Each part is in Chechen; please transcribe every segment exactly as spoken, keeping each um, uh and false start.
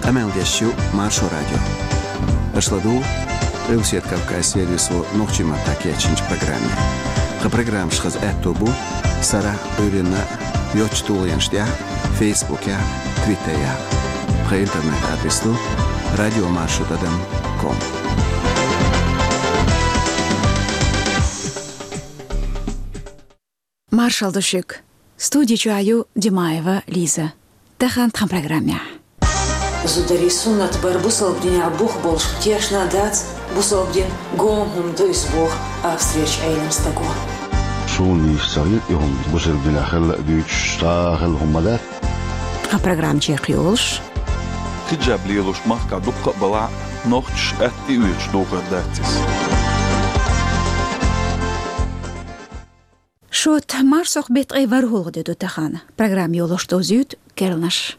Къамел деш ю Маршо радио. Аша ладугӀу Къилбаседа Кавказан сервисо нохчийн маттахь кечйинчу программе. Тхан программаш хаза аьтто бу сарахь а, Ӏуьйранна а йоцчу тулгӀенаш тӀехь а, Фейсбукехь а, Твиттерехь а. Тхан интернет-адрес ду радиомаршо тӀадам ком. Маршалла ду шуьга. Студи чохь ю Димаева Лиза. Тахана тхан программехь. Зударийн суннат бар бусалба динехь бух болуш тешна а дац, бусалба дин гома хӀума ду иза боху Австрерчу Ӏелам стаго. Суна нийса ца хета и хӀума бусалба динехь хилла а дуьйцуш, цхьа а хилла хӀума ма дац. Тхан программа чекхйолуш. Хиджаб лелош махкахь дуккха а балахь, нохчаша атта тӀеоьцуш дохар дац иза. Шот, марсхьокху беттан ткъе ворхӀалгӀа де ду тахана. Программа йолош дозуьйту керланаш.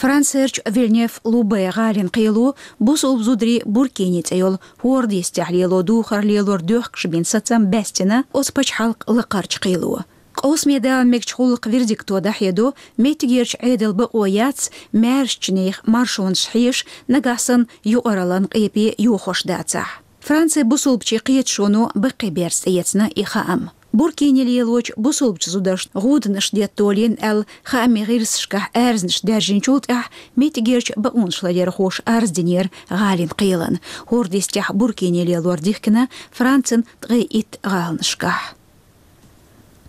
Францерчу Вильнев-Лубе гӀалин кхело бусалба зударийн Буркини цӀе йолу хӀора дистехь лело духар лелор доьхкуш бина сацам баьстина оцу пачхьалкхан лакхарчу кхело. Къовсаме дала мегачу гӀуллакхан вердикто дӀахьедо, меттигерчу Ӏедалан бакъо яц, маьршачу нехан маршонаш хьеша, нагахь санна юкъараллин къепе йохош дацахь. Францин бусалбачийн кхеташоно баккхий берза тӀеэцна и хаам. Буркини лелочу бусалбачу зударшна гӀуданаш детта долийна аьлла, хаамийн гӀирсашкахь аьрзнаш даьржинчул тӀаьхьа меттигерчу бакъонаш ларъярхоша арз динера гӀалин кхелана. ХӀора дистехь буркини лелор дихкина Францин ткъе итт гӀаланашкахь.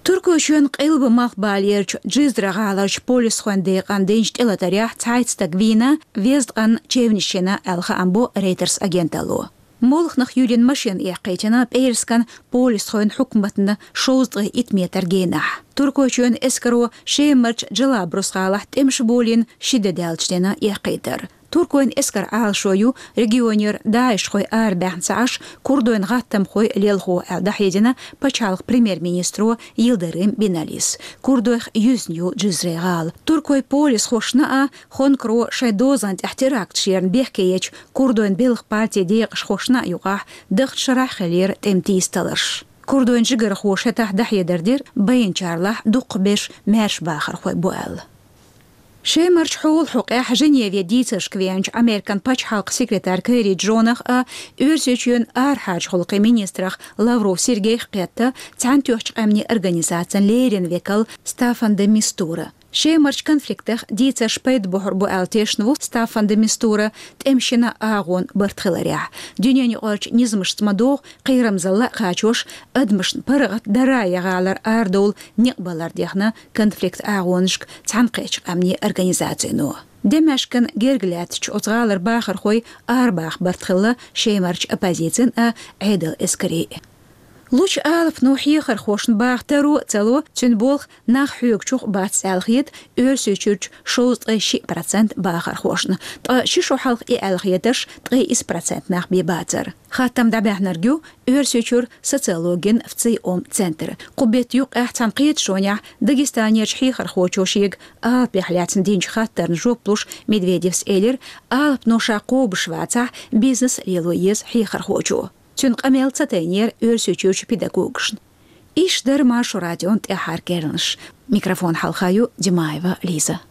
Туркойчоьнан къилба-малхбалерчу Джизра гӀаларчу полисхойн декъана динчу тӀелатарехь цхьайтта стаг вийна, везткъанна чевнаш йина аьлла, хаам бо Reuters агенталло. Молханах юьллина машина эккхийтина пӀераскан полисхойн хьукматна шовзткъе итт метр генахь. Туркойчоьнан эскаро Шемарчу Джалабрус гӀалахь тӀемаш болийна ши де даьлча дина эккхийтар. Туркойн эскаран Ӏалашо ю регионера даишхой арабаьхна ца Ӏаш, курдойн гӀаттамхой лелхо аьлла, дӀахьедина пачхьалкхан премьер-министро Йилдырым Биналис. Курдойх юьзна ю Джизрин гӀала. Туркойн полисхошна а, Хонкаро шайн дозан тӀехь теракташ ярна бехке ечу курдойн белхан партин декъашхошна а юкъахь даханчу шарахь хиллера тӀеман тийсаталарш. Курдойн жигархоша хӀетахь дӀахьедар дира, байначарлахь дукхахберш маьрша бахархой бу аьлла. Шемарчу хьолан хьокъехь Женеве дийцаршка веанчу Американ пачхьалкхан секретарь Керри Джонах а, Оьрсийчоьнан арахьарчу гӀуллакхийн министрах Лавров Сергейх кхетта Цхьаьнатоьхначу Къаьмнийн Организацин леррина векал Стаффан де Мистура. Шемарчу конфликтах дийцарш пайда бохьур бу аьлла тешна ву Стаффан де Мистура тӀемаш йина агӀонан барт хиларехь. Дуьненаюкъарчу низамашца ма-догӀу, кхерамзалла а кхачош, адамашна паргӀат Дарая гӀалара арадовла некъ балар дехна конфликтан агӀонашка Цхьаьнакхеттачу Къаьмнийн Организацино. Дамаскан герга лаьттачу оцу гӀалара бахархой арабаха барт хилла Шемарчу оппозицин а, Ӏедалан эскарийн а. Лучу алапано хьехархошна баха таро а ца ло, цуьнан болх нах хьоьгучух бац аьлла хета Оьрсийчуьрчу шовзткъе шиъ процент бахархошна, ткъа ши шо хьалха и аьлла хетарш ткъе исс процент нах бен бацара. Хаттам дӀабаьхьнарг ю Оьрсийчуьра социологин ФЦИОМ центр. Кху беттан юккъехь цхьана кхеташонехь Дагестанерчу хьехархочо шега алапех лаьцна динчу хаттарна жоп луш Медведевс элира, алапано ша кхобуш вацахь, бизнес лело еза хьехархочо. Цуьнан къамел ца тайнера Оьрсийчуьрчу педагогашна. Иштта дара Маршо радион тӀаьххьара керланаш. Микрофон хьалха ю Димаева Лиза.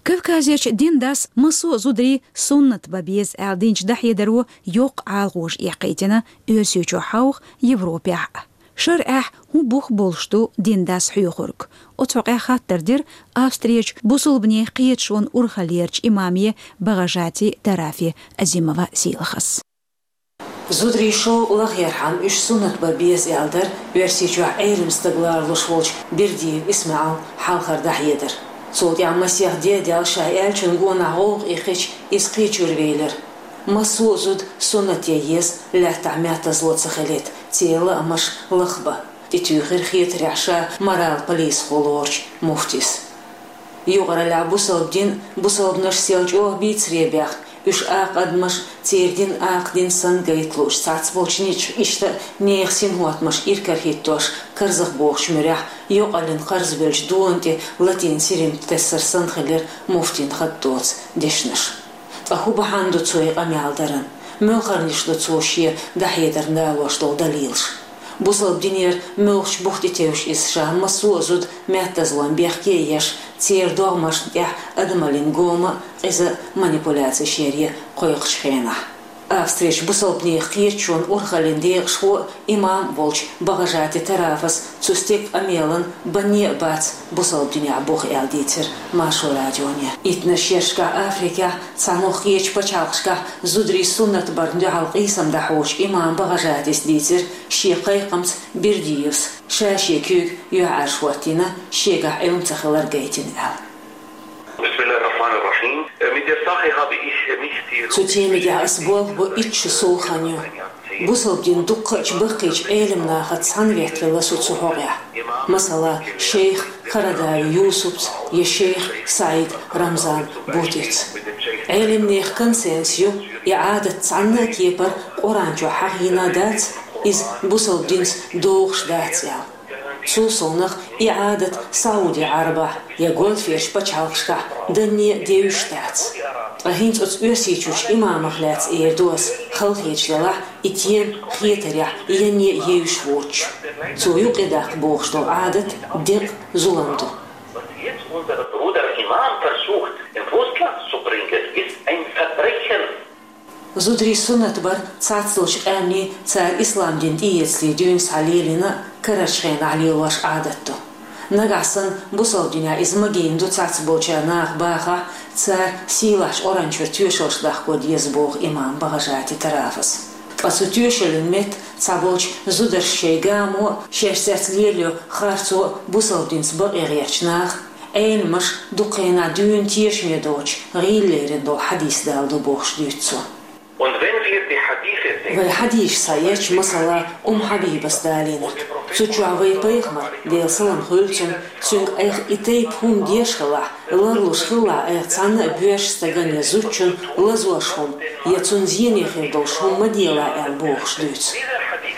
Кавказерчу дин дас массо а зударийн суннат бан беза аьлла динчу дӀахьедаро йоккха Ӏалашонаш эккхийтина Оьрсийчохь хьовха, Европехь а. ШарӀехь хӀун бух болуш ду дин дас хьоьхург? Оцу хьокъехь хаттар дира Австрерчу бусалбанийн кхеташонан урхаллерчу имаме Багажати Тарафи Азимова Сийлахас. Зударийн шовкъ лахъярхьама уьш суннат бан беза аьлла дара Оьрсийчохь Ӏелам стаг лоруш волчу Бердиев ИсмаӀалан хьалхара дӀахьедар. Цул тӀаьхьа масех де а даьлла, ша аьллачун гонах гӀовгӀа эккхича, иза кхечуьра велира. Массо а зуда суннат ян еза, лаьттахь меттазло ца хилийта, церан лаамаш лахбан, тӀетуьйхира хетарехь ша морал полисхо лоручу муфтис. Юкъараллехь бусалба дин а, бусалбанаш а сел чӀогӀа бийцаре баьхна, уьш акха адамаш а, церан дин а акха дин санна гайта лууш, цхьацца болчу низамаш иштта а нехан синхӀоттамаш иракарахӀиттош, карзахбохучу муьрехь йокъаллин кхарзабеллачу долан тӀе латийна сирим тессар санна хилира муфтин хатта доцу дешнаш. Ткъа хӀун бахьана ду цо и къамел даран? Муьлхарнаш ду цо шен дӀахьедарна далош долу далилаш? Бусалба динера муьлхачу бух тӀетевжаш иза ша массо а зуда меттазлон бехке а еш, церан догӀмашна тӀехь адамаллин гома а, къиза а манипуляцеш яре кхойкхучу хенахь? Австрерчу бусалбанийн кхеташонан урхаллин декъашхо а, имам а волчу Багажати Тарафас цу стеган къамелан банне а бац бусалба динехь бух аьлла дийцира Маршо радионе. Иттаннаш шерашкахь Африкехь, цхьанхьа кхечу пачхьалкхашкахь зударийн суннат барна дуьхьал къийсам дӀахьочу имам Багажатис дийцира шен кхайкхамца Бердиевс ша шен куьйга юьхьӀаьржа хӀоттийна, шегахь Ӏилма ца хилар гайтина аьлла. بسم الله الرحمن الرحيم. Mit der Sache habe ich nicht die Цу темигехь ас болх бо итт шо сов хан ю. Бусалба дин дуккхачу баккхийчу Ӏелам нахаца цхьаьна веттавелла со цу хьокъехь. Масала, шейх Карадави Юсупца я шейх СаӀид Рамзан Бутица. Ӏелам нехан консенсус ю, и Ӏадат цхьанна а кепара Къуръан чохь хьахийна дац, иза бусалба динца догӀуш дац аьлла. Цул совнах, и Ӏадат Сауди-Ӏарабахь я гольферчу пачхьалкхашкахь данне а девзаш дац. Ткъа хӀинца оцу Оьрсийчуьрчу имамах лаьцна эр ду ас, халахеташ делахь, и тема хетарехь янне а евзаш воцуш. Цо юкъадаккха бохуш долу Ӏадат декъа, зулам ду. Was jetzt unser Bruder Imam versucht, ins Ausland zu bringen, ist ein Verbrechen. Зударийн суннат бар цхьацдолчу къаьмнийн, цара ислам дин тӀеэцале дуьйна схьа лелийна а, карарчу хенахь лелош Ӏадат ду. Нагахь санна бусалба динехь иза магийна ду цхьацболчара наха бахахь, цара сийлахьчу Къуръан чуьра тоьшаллаш дахко деза боху имам Багажати Тарафас. Ткъа цу тоьшаллин метта цхьаболчу зударша шайн гамо а, шаьш цец лелайо харцо а бусалба динца бакъе гӀертачу наха, Ӏеламаша дукха хенахь дуьйна тешаме доцуш гӀийла лерина долу хьадис далла ду бохуш дуьйцу цо. Und wenn wir die Hadithe sehen, Вай хьадисаш схьаэцча, масала, Умм Хьабибас далийнарг. Цу чохь вайн пайхамар, Делан салам хуьлда цунна, цуьнга айхьа и тайпа хӀума деш хилахь, ларлуш хилалахь, айхьа цхьанна а боьрша стагана я зудчунна лазош хӀума, я цунна зене хир долуш хӀума ма делахь аьлла бохуш дуьйцу.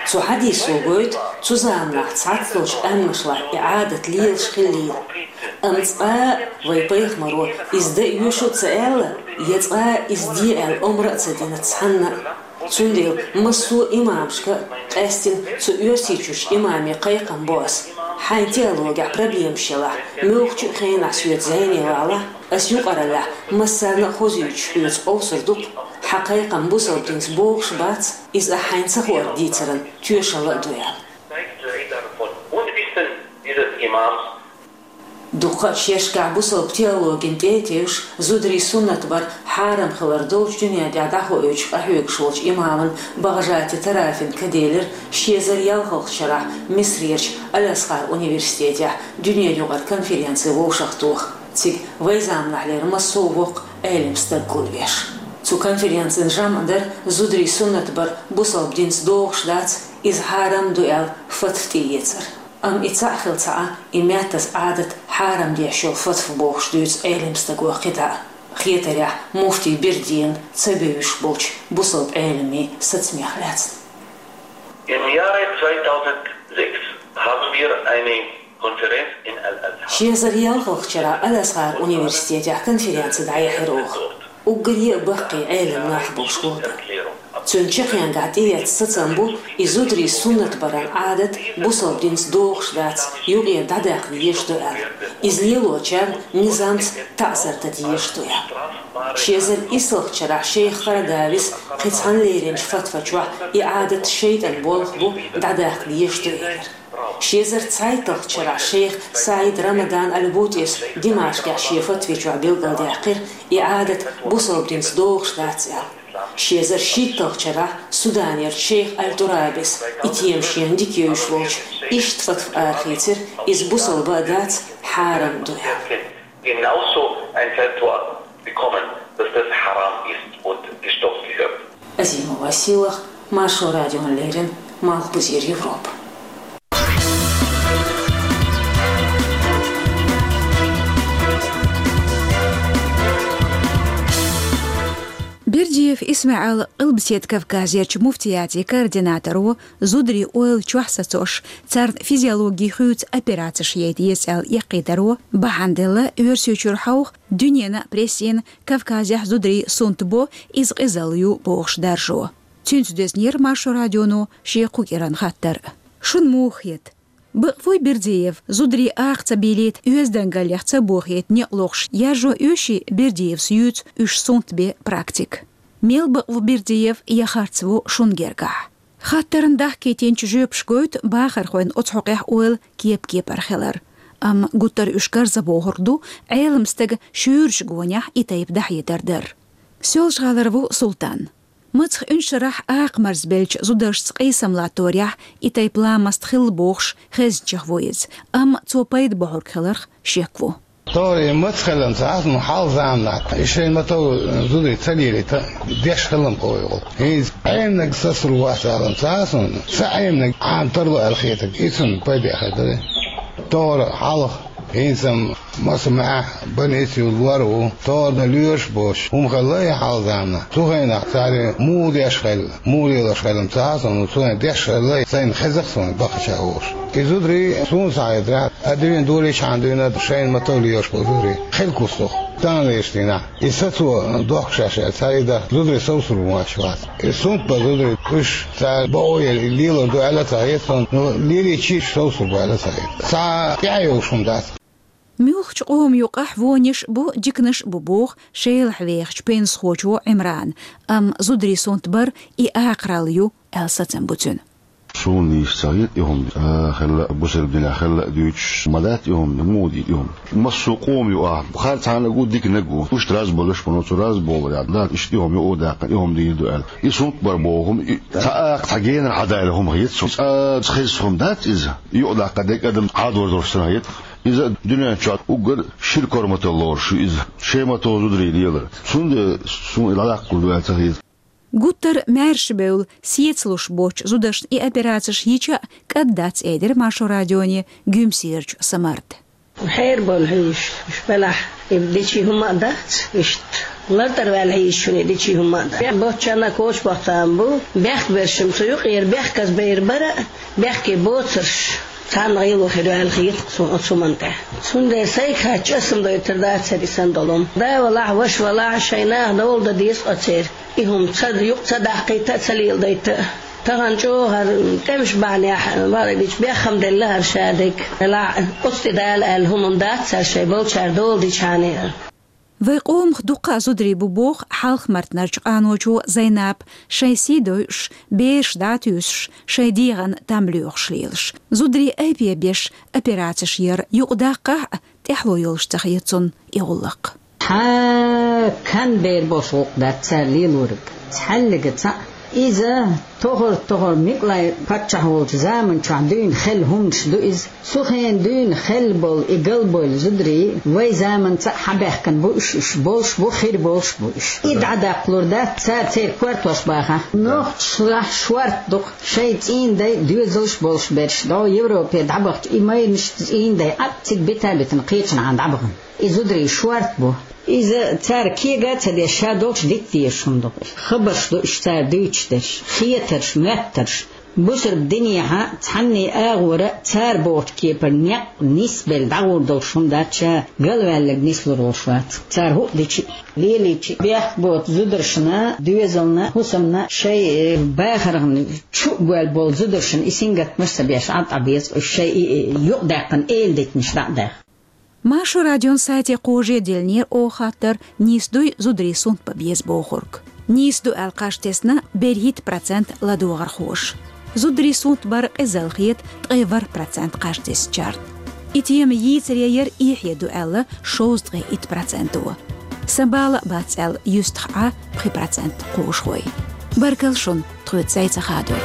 Цу хьадисо гойту цу заманахь цхьацдолчу къаьмнашлахь и Ӏадат лелаш хиллийла. Амма цкъа а вайн пайхамаро иза дан оьшу а ца аьлла, я цкъа а иза де аьлла омра а ца дина цхьанна а. Цундела массо а имамашка а, къаьстина цу Оьрсийчуьрчу имаме кхайкхам бо ас: хьайн теологехь проблемаш елахь, муьлххачу а хенахь соьца зӀене валахь, ас юкъараллехь массарна а хозуьйтуш хьоьца къовсур ду-кх, хьан кхайкхам бусалба динца богӀуш бац, иза ахь хьайна ца хуур дийцаран тоьшалла а ду аьлла. Zeigt leider von Unwissen dieses Imams. Дуккха а шерашкахь бусалба теологина тӀе а тевжаш, зударийн суннат бар хьарам хилар долчу дуьнен тӀехь дӀахоуьйтуш къахьоьгуш волчу имаман Багажати Тарафин ка делира ши эзар ялхалгӀачу шарахь Мисрерчу Аль-Азхар университетехь дуьненаюкъара конференци вовшахтоха, цига вайн заманахьлера массо а воккха Ӏелам стаг гулбеш. Цу конференцин жамӀ дара зударийн суннат бар бусалба динца догӀуш дац, иза хьарам ду аьлла фатва тӀеэцар. Амма и цхьаъ хилла ца Ӏа, и меттаза Ӏадат хьарам деш йолу фатва бохуш дуьйцу Ӏелам стага кхидӀа а. Хетарехь, муфтий Бердиевна ца бевзаш болчу бусалба Ӏеламийн сацамех лаьцна. Im Jahre zweitausendsechs haben wir eine Konferenz in Al-Azhar. Ши эзар ялхалгӀачу шарахь Аль-Азхар университетехь конференци дӀаяьхьира оха. Уггаре а баккхий Ӏелам нах болуш гулбелла. Цуьнан чаккхенгахь тӀеэцна сацам бу и зударийн суннат баран Ӏадат бусалба динца догӀуш дац, юкъера дӀадаккха дезаш ду аьлла. Иза лелочарна низамца таӀзар дан дезаш ду аьлла. Ши эзар исслгӀачу шарахь шейх Карадавис кхин цхьана леринчу фатва чохь и Ӏадат шайтӀан болх бу, дӀадаккха дезаш ду элира. Ши эзар цхьайтталгӀачу шарахь шейх СаӀид Рамадан Аль-Бутис Димашкъехь шен фатви чохь билгалдаьккхира, и Ӏадат бусалба динца догӀуш дац аьлла. Ши эзар шийтталгӀачу шарахь Суданерчу шейх Аль-Турабис и тема шена дика евзаш волчу иштта фатва арахийцира, иза бусалба а дац, хьарам ду аьлла. Genauso ein Fatwa bekommen, dass das haram ist und gestoppt gehört. Азимова Сийлаха, Маршо радиона леррина, Малхбузера Европа. Бердиев ИсмаӀал Къилбаседа Кавказерчу муфтиятан координаторо, зударийн ойла чохь сацош, царна физиологин хуьйцу операцеш яйта еза аьлла эккхийдаро бахьана делла Оьрсийчуьра хьовха, дуьненан а прессина Кавказехь зударийн сунтбо, иза къизалла ю бохуш даржо. Цуьнца доьзнера Маршо радионо шен кху кӀиранан хаттар. Шуна муха хета? Бакъ вуй Бердиев, зударийн акха ца бийлийта, оьздангаллех ца бохийта некъ лохуш, яржо оьший Бердиевс юьйцу уьш сунтбен практика? Мел бакъ ву Бердиев я харц ву шуна гергахь? Хаттарна дахкийтинчу жоьпаша гойту бахархойн оцу хьокъехь ойла кеп-кепара хилар. Амма гуттар а уьш карзахбохург ду Ӏелам стага шуьйрачу гонехь и тайпа дӀахьедар дар. Соьлжа-ГӀалара ву Султан. Мацах Уьншарахь акха марзбеллачу зударшца къийсам латторехь и тайпа ламаст хилла бохуш, хезначех ву иза, амма цо пайда бохьург хиларх шек ву. Тора и маца хилла ца Ӏа, ну, хьалха заманахь, и шайн ма-тов зударий ца лелийта, деш хилла-м къовгӀа. ХӀинца Ӏемнарг сацалур вац аьлла ца Ӏа, ну, ца Ӏемнарг Ӏама тарло аьлла хетарг, и цунна пайда хир дара. Тора хьалха хӀинца-м маса маьӀ, больнице лор ву, тора дан лоьраш боцуш, хӀума хилла и хьалха заманахь. Цу хенахь цара муха деш хилла, муха лелош хилла ца Ӏа, ну, цу хенахь деш хилла, сайна хеза-кх суна бахча волуш. И зударий суна схьахетарехь, а дуьйна долийчхьана дуьйна шайна ма-тов лелош болу зударий хилла кустух, тахана лелаш дийнахь. И сацо дохкуш шаьш цара и даха зударий совсур ву аьлла вац. И сунтбан зударий, уьш цара бакъо елла и лелор ду аьлла ца хета суна, но лелийча уьш совсур бу аьлла ца хета. Цхьа тӀаьхьа йолуш хӀума дац. Муьлххачу къоман юкъахь вониш а бу, диканаш а бу боху Шелахь вехачу пенсахочо Ӏимрана, амма зударий сунтбар и акхаралла ю аьлла сацам бу цуьнан. Суна нийса ца хета и хӀума, а, хилла а, бусалба динехь хилла а дуьйцуш ма дац и хӀума, муха дийр и хӀума. Массо а къома ю ахь, харцхьаннаг а ву, диканнаг а ву. Уьш раза болуш, но цу раза болу ваьлла дац, иштта и хӀума юкъа а даьккхина, и хӀума дийр ду аьлла. И сунтбар боху хӀума, и цхьа акха цхьа генара хьадайла хӀума хета суна. Цкъа ца хеза хӀума дац иза. Юкъа даккха дерг адам Ӏадоржуш санна хета. Иза дуьнен чохь уггар шира корматалла лоруш ю иза. Шайн ма-тов зударий лелар. Цундела суна и дӀадаккхалур ду аьлла ца хета. Гуттар а маьрша бевлла, сецалуш боцчу зударшна и операцеш йича а кӀад дац, элира Маршо радионе Гуьмсерачу Самарта. Хьера болу хьуьйш, уьш белахь, и дечий хӀума а дац, иштта лартӀара ваьлла хьийзаш шуна и дечий хӀума а дац. Бехк боцчарна а коча бохтам бу, бехк бершим цу юкъера бехказа бер бара а, бехке боцурш царна гӀело хир ваьлла хета суна оцу хӀуманна тӀехь. Цундела сайга хатта чӀасам дойтар дацара и санна долу хӀума. Да валахь, ваша валахь, шайн наха довла дан деза оцеран. И хӀума ца юкъа ца даккхийта а, ца леладайта а. Тахана чӀогӀа хӀара тӀемаш бахьанехь, бакъдерг дийцича, беххам делла хӀара шадерг. Делахь, оцу тӀе дала аьлла хӀума-м дац цара шайн болчара дола дичхьана а. Вай къомах дуккха а зударий бу боху Хьалха-Мартанарчу къаночо Зайнап, шайн сий дойуш, бераш дӀа а туьйсуш, шайн дегӀан там лоьхуш лелаш. Зударий айпе беш операцеш яр юкъадаккхахь а, тӀаьхьало йолуш ца хета цунна и гӀуллакх. Хьа, кан бер болуш гӀуллакх дац цара лелориг. Цхьаьллига цхьаъ. Иза тохар-тохар Микълай паччахь волчу заманчохь дуьйна хелла хӀуманаш ду иза. Цу хенахь дуьйна хелла болу и галбевлла зударий вай заманца а хьабаьхкина бу уьш, уьш болуш бу, хир болуш бу уьш. И дӀадаккхалур дац цара, церан кортош бахахь. Нохчашлахь шорта ду-кх шайн цӀийнан дай доьзалш болуш берш, дӀо Европе дӀабахча и майрнаш цӀийнан дай Ӏад цига бита а битина кхечанхьа дӀабахана. И зударий шорта бу. Иза цара кега а ца деш, ша долуш дита дезаш хӀума ду-кх. Хабарш ду уьш цара дуьйцуш дерш, хетарш, моьттарш. Бусурба динехьа цхьанний агӀора цара бохучу кепара некъ нисбелла дӀагӀур долуш хӀума дац, ша галваьлларг нислур волуш вац. Цара хӀуъа дичи а, лелийчи а, бехк боцу зударшна, доьзална, хӀусамна, шайн, э, бахархна чу а гоьлла болу зударшна и сингаттамаш а ца беш, Ӏад Ӏа беза, уьш шайн и, и, юкъадаьккхина эладитанаш дӀа а даьхна. Маршо радион сайте кхаже диллинера оха хаттар, нийса дуй зударий сунтбан беза бохург. Нийса ду аьлла кхаж тесна берхӀитта процент ладогӀархоша. Зударий сунтбар къизалла хета ткъе ворхӀ процент кхаж тесначарна. И тема йийцаре яра эхье ду аьлла шовзткъе итт проценто. Сан бала а бац аьлла юьстах Ӏа пхи процент кхушахой. Баркалла шуна! Тхоьца цӀай ца хадор.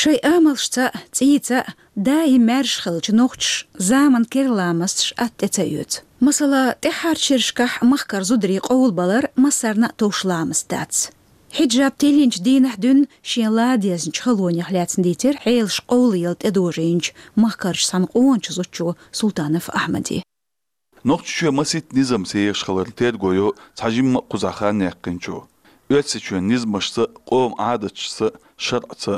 Шоай амалшца, цӀийца даим маьрша хилча нохчаша заман кер ламасташ атта тӀе ца оьцу. Масала, тӀаьххьарчу шерашкахь махкара зударий къовлабалар массарна а товш ламаст дац. Хьиджаб тиллинчу дийнахь дуьйна шен ла дезначу халонех лаьцна дийцира Ӏелаш къовлаяла тӀедожийначу махкарчу цхьана къоначу зудчо Султанов Ахьмаде. Нохчийчоь масийтта низам сехаш хилар терго йо цхьа жимма а кхузахь хан яьккхинчо. Оьрсийчоьнан низамашца, къоман Ӏадаташца, шарӀаца.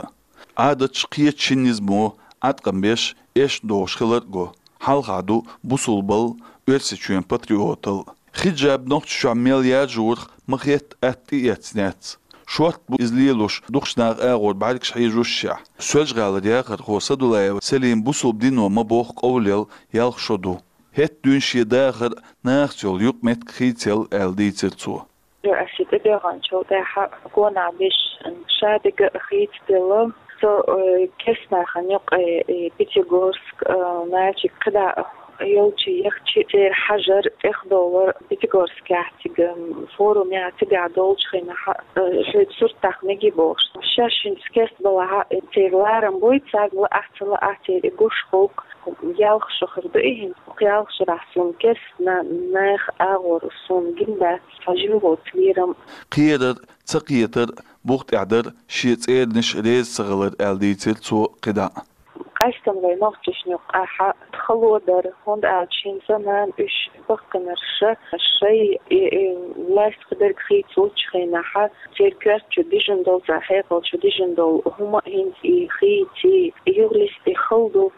Ӏадаташ кхечу шина низамо Ӏаткъам беш, эшна догӀуш хилар а го. Хьалха ду бусулбал, Оьрсийчоьнан патриотал. Хиджаб Нохчийчохь мел яржорах ма хетта атта тӀеэцна яц. Шортта бу иза лелош дукхачу наха агӀор бӀаьргаш хьежошшехь. Соьлжа-ГӀалара яхархо Садулаева Селима бусулба дино ма бохху къовлаяла ялх шо ду. ХӀетта дуьйна шен дахар нахаца йолу юкъаметтиг хийцаелла аьлла дийцира цо. Ас и тӀедоьгӀначул тӀаьхьа гонах беш шадерг а хийцаделла, со, э, керстанахана юкъе, э, Пятигорск, э, Нальчик кхидӀа йолчу яхча церан хьажар, тӀехдовлар Пятигорскехь цига, м, форумехь цигахь долчу хенахь, э, шайн сурт даха мегий бохуш. Шаьш хӀинца керста балахь, э, церан ларам бой, царна лаахь ца лаахь, церан и гуш хӀокху ялх шо хир ду и хӀинца. Ялх шарахь суна керста на-, нах агӀор суна гина дац, цхьа жима воцу лерам. Кхерар, ца кхетар, бух тӀехь дар, шен цӀеранаш реза ца хилар аьлла дийцира цо кхидӀа. Къаьстина вай нохчашна юкъахь хало дара, хӀунда аьлча хӀинца нана уьш баккхинарш шай, и, и, лаьцна дерг хийцалучу хенахь, церан коьрта чу дижина долу, церан хьекъал чу дижина долу хӀума а хӀинца и хийций, юхалисте хала ду,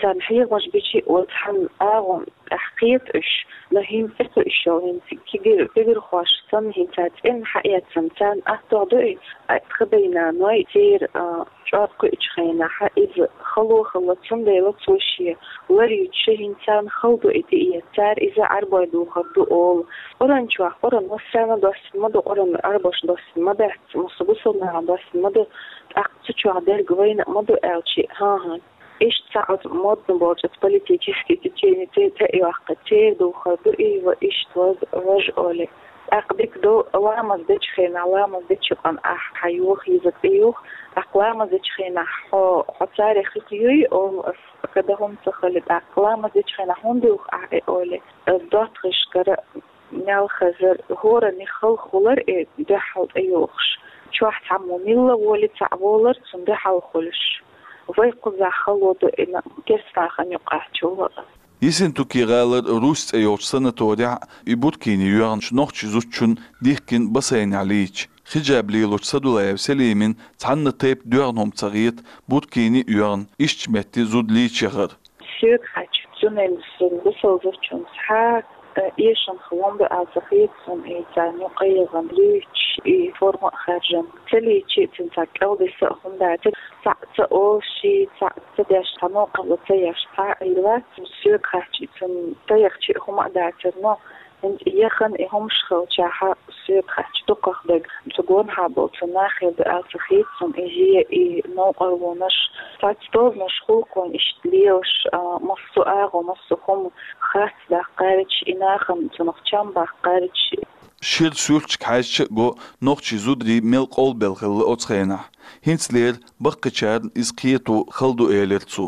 царна хьехамаш бичи а оцу хьан агӀо тӀехь кхета уьш, но хӀинца кхуьуш йолу хӀинца кегир-, кегирхошна санна хӀинца цӀенна хьаэцна, царна аттох ду и, а, тхан дай-наной церан, а, чӀор кхуьучу хенахь иза хало хилла, цундела цо шен лар юьтуш хӀинца царна хала ду и тӀеэца, цара иза Ӏарбой духур ду олу. Къуръан чохь, Къуръан массарна доссина ма ду, Къуръан Ӏарбошна доссина ма дац, массо бусалбанашна доссина ма ду, тӀаккха цу чохь дерг вайна а ма ду аьлча, хӀан-хӀа. Иштта цхьа оцу модна болчу оцу политический течение тӀе тӀе а йоккху, церан духар ду и, ва иштта ваз-, важа олий. ТӀаккха дика ду, ламаз дечу хенахь, ламаз дечу къан ахь хьан юха йиза тӀеюха, тӀаккха ламаз дечу хенахь хьо, хьо царех хих юй, олу ас, када хӀума ца хали, тӀаккха ламаз дечу хенахь хӀунда юха ахь и олий, доттагӀашкара мел хазар, хӀоранна халхалар и дуьхьал тӀеюхуш. Чохь цхьаммо милла воли цхьаъ волар, цунна дуьхьал хуьлуш. Вай кхузахь хало ду и на-, керстанахана юкъахь чула а. Ессентуки гӀалара Русь цӀе йолчу санаторехь и буркини йоьгӀначу нохчи зудчун дихкина бассейнехь лийча. Хиджаб лелочу Садулаева Селимина цхьанна тайпа доьгӀна хӀума ца хета, буркини а йоьгӀна, ишттачу метте зуда лийча яхар. Соьга хаьттича, цундела суна бусалба зудчунна цхьа, э, эшам хилла ма ду аьлла ца хета суна, и царна юкъа яхана луьйчу, и форма а хаьржина. Ца лийча, цуьнан цхьа кӀелдиса а хӀума дац. Цхьаъ ца олуш, цхьаъ ца деш, цхьа новкъарло ца еш, цхьа а хилла вац. Соьга хаьттича, цуьнан ца яхча а хӀума а дацара, но хӀинца и яхана и хӀумаш хилчахьа, соьга хаьттича, дукхах дерг цу гонахьа болчу нахера ду аьлла ца хета суна, иза и новкъарлонаш, цхьацца тобанаш хӀуллакхойн иштта лелаш, а, массо а агӀо, массо а хӀума хатта даккхарча, и нахана цунах чам баккхарча. Шира суьрташка хьаьжча а го, нохчий зударий мел къовлабелла хилла оцу хенахь. ХӀинцалера баккхийчарна иза кхето хала ду, элира цо.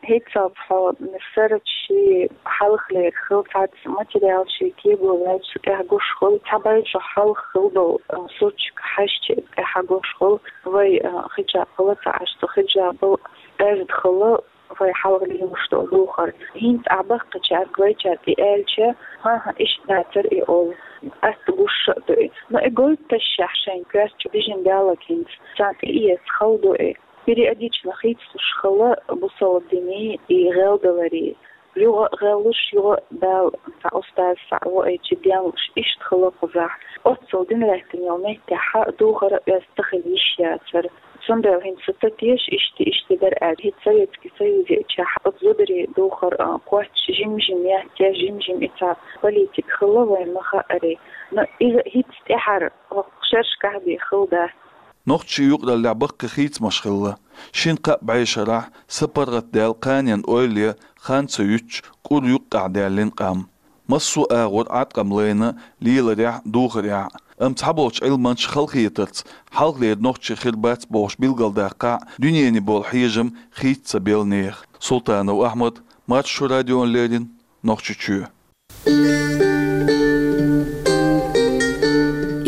ХӀинцалц хьо сарачу ши хьалхалера хила цхьацца материал ши кего ваьлча, цу тӀехь гуш хуьлу, цхьа бай чу хьалха хила долу, а, сурташка хьаьжча, тӀехь гуш хуьлу, вай, а, хиджаб хила ца Ӏаш, цу хиджабал аьрда хила вай хьалха лелош долу духар. ХӀинца ахь баккхийчаьрга, вайчаьрга и аьлча, хӀан-хӀа, иштта дацара и олу. Атта гуш а ду и. Но и гойту ташшехь шайн коьрта чу бижина даллаг хӀинца. Царна тӀеэца хала ду и. Периодично хийцалуш хала бусалба динийн и гӀелдаларий. Юха а гӀеллуш, юха а Дала цхьа устаз, цхьа воуьйтуш денлуш, иштта хала кхузахь. Оццул дин лаьттина йолу меттехь духар а оьзда ца хила йиш яцара. Цундела хӀинца сан теша иштта, иштта дара аьлла. ХӀинца Советский Союзехь оцу зударий духар, а, кхоччуш жим-жим яц, я жим-жим и цхьа политика хилла вайн ма хаъара. Но иза хӀинца тӀаьхьара хӀокху шерашкахь бен хила дац. Нохчийн юкъараллехь баккхий хийцамаш хилла. Шина-кхаа бӀешарахь са паргӀатдаьлла кханенан ойла ян хан ца юьтуш, кӀур юккъехь даьллина къам. массо а агӀор Ӏаткъам лайна леларехь, духарехь. Амма цхьаболчу Ӏилманчаша халахетарца, хьалхалера нохчий хир бац бохуш билгалдаккхахь, дуьненан болу хьежам хийца ца белла нехан. Султанов Ахьмад, Маршо радиона леррина, Нохчийчоь.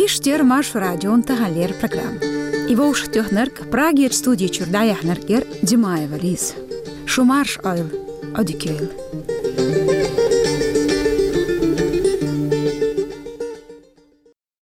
Иштта яра Маршо радион таханлера программа. И вовшахтоьхнарг, Прагерчу студи чуьра дӀаяьхьнарг яра Димаева Лиза. Шу марша Ӏойла, Ӏодика йойла.